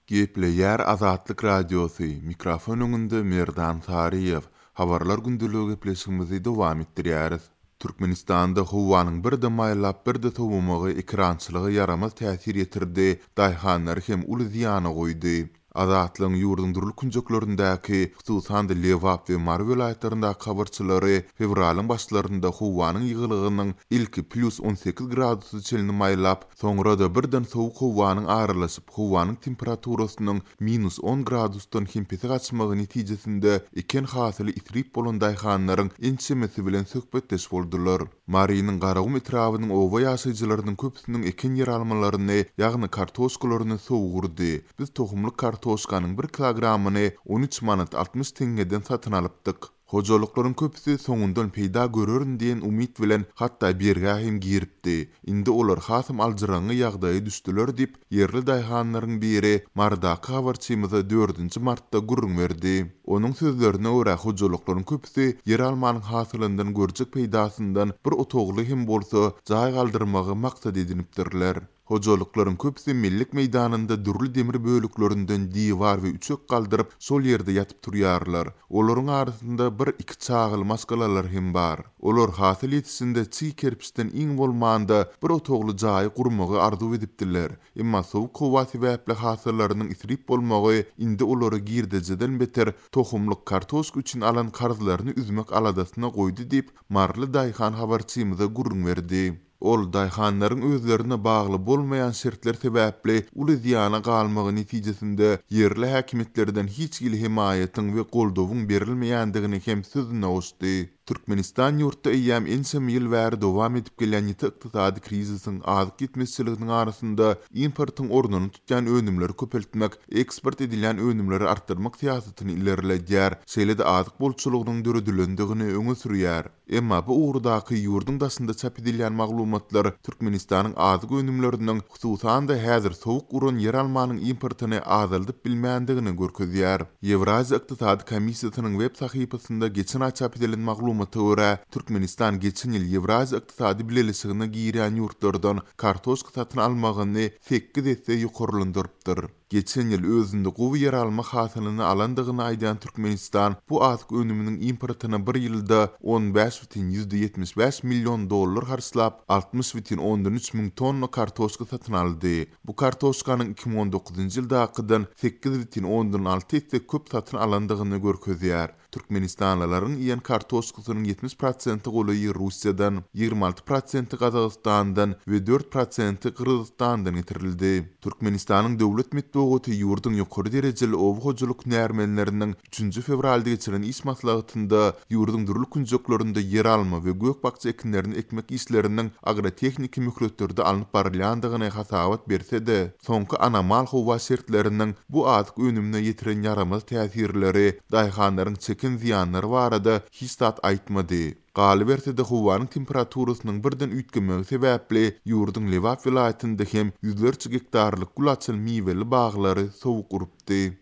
Gepleýär Azatlyk Radiosy, mikrofon öňünde Merdan Saryýew. Habarlar gündeligi gepleşigimizi dowam etdirýäris. Türkmenistanda howanyň birde maýyllap birde sowamagy ekerançylyga ýaramaz täsir ýetirdi, daýhanlary hem uly zyýana goýdy. Azatlygyň ýurduň dürli künjeklerindäki, hususan-da Lebap we Mary welaýatlaryndaky habarçylary fewralyň başlarynda howanyň ýygylygynyň ilki plýus 18 gradusa çenli maýlap, soňra-da birden sowuk howanyň aralaşyp, howanyň temperaturasynyň minus on gradusdan hem pese gaçmagy netijesinde eken hasyly isrip bolan daýhanlaryň ençemesi bilen söhbetdeş boldular. Marynyň Garagum etrabynyň oba ýaşaýjylarynyň köpüsiniň eken ýeralmalaryny, ýagny kartoşkalaryny sowuk urdy. Biz tohumlyk kartoşkanyň bir kilogramyny 13 manat 60 teňňeden satyn alypdyk. Hojalyklaryň köpüsi soňundan peýda görerin diýen umyt bilen hatda bergä hem giripdi. Indi olar hasam aljyraňňy ýagdaýa düşdüler diýip, ýerli daýhanlaryň biri Marydaky habarçymyza dördünji martda gürrüň berdi. Onuň sözlerine görä, hojalyklaryň köpüsi ýeralmanyň hasylyndan görjek peýdasyndan bir otagly hem bolsa jaý galdyrmagy maksat edinipdirler. Hojalyklaryň köpüsi mellek meýdanynda dürli demir böleklerinden diwar we üçek galdyryp, şol ýerde ýatyp-turýarlar. Olaryň arasynda bir-iki çagaly maşgalalar hem bar. Olar hasyl ýetişende çig kerpiçden iň bolmanda bir otagly jaýy gurmagy arzuw edipdiler. Emma sowuk howa sebäpli hasyllarynyň isrip bolmagy indi olary girdejiden beter tohumlyk kartoşka üçin alan karzlaryny üzmek aladasyna goýdy diýip, maryly daýhan habarçymyza gürrüň berdi. Ol daýhanlaryň özlerine bagly bolmaýan şertler sebäpli uly zyýana galmagy netijesinde ýerli häkimiýetlerden hiç hili hemaýatyň we goldawyň berilmeýändigini hem sözüne goşdy. Türkmenistan ýurtda eýýäm ençeme ýyl bäri dowam edip gelýän ýiti ykdysady krizisiň, azyk ýetmezçiliginiň arasynda importyň ornuny tutýan önümleri köpeltmek, eksport edilýän önümleri artdyrmak syýasatyny ilerledýär, şeýle-de azyk bolçulygynyň döredilendigini öňe sürýär. Emma bu ugurdaky ýurduň daşynda çap edilýän maglumatlar Türkmenistanyň azyk önümleriniň, hususan-da häzir sowuk uran ýeralmanyň importyny azaldyp bilmändigini görkezýär. Ýewraziýa ykdysady komissiýasynyň web sahypasynda geçen aý çap edilen maglumata görä, Türkmenistan geçen ýyl Ýewraziýa ykdysady bileleşigine girýän ýurtlardan kartoşka satyn almagyny sekiz esse ýokarlandyrypdyr. Geçen ýyl özünde gowy ýeralma hasylyny alandygyny aýdýan Türkmenistan bu azyk önüminiň importyna bir ýylda 15,75 million dollar harçlap, 60,3 müň tonna kartoşka satyn aldy. Bu kartoşkanyň 2019-njy ýyldakydan 8,6 esse köp satyn alandygyny görkezýär. Türkmenistanlylaryň iýen kartoşkasynyň 70 prosente golaýy Russiýadan, 26 prosenti Gazagystandan we 4 prosenti Gyrgyzystandan getirildi. Türkmenistanyň döwlet metbugaty ýurduň ýokary derejeli oba hojalyk hünärmenleriniň üçünji fewralda geçiren iş maslahatynda ýurduň dürli künjeklerinde ýeralma we gök-bakja ekinlerini ekmek işleriniň agrotehniki möhletlerde alnyp barylýandygyny hasabat berse-de, Soňky anomal howa şertleriniň bu azyk önümine ýetiren ýaramaz täsirleri, daýhanlaryň çeken zyýanlary barada hiç zat aýtmady. Galyberse-de, howanyň temperaturasynyň birden üýtgemegi sebäpli ýurduň Lebap welaýatynda hem ýüzlerçe gektarlyk gül açan miweli baglary sowuk urupdy.